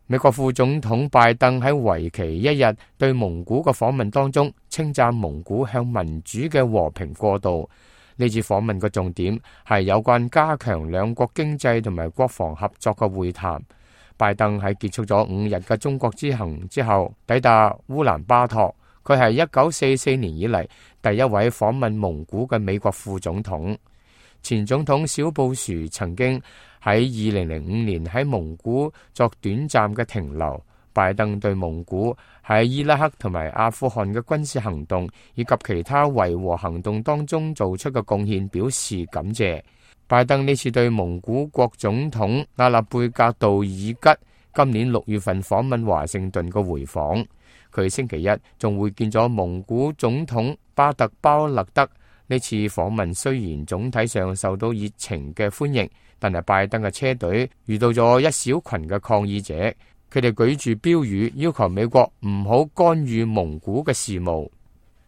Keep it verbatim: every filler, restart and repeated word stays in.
美國副總統拜登喺為期一日對蒙古嘅訪問當中，稱讚蒙古向民主嘅和平過渡。呢次訪問嘅重點係有關加強兩國經濟同埋國防合作嘅會談。拜登喺結束咗五日嘅中國之行之後，抵達烏蘭巴托。佢係一九四四年以嚟第一位訪問蒙古嘅美國副總統。前總統小布殊曾經喺二零零五年喺蒙古作短暫嘅停留。拜登對蒙古喺伊拉克同埋阿富汗嘅軍事行動以及其他維和行動當中做出嘅貢獻表示感謝。拜登呢次對蒙古國總統阿勒貝格杜爾吉今年六月份訪問華盛頓嘅回訪，佢星期一仲會見咗蒙古總統巴特包勒德。呢次訪問雖然總體上受到熱情嘅歡迎，但係拜登嘅車隊遇到咗一小群嘅抗議者。佢哋舉住標語要求美國唔好干預蒙古嘅事務。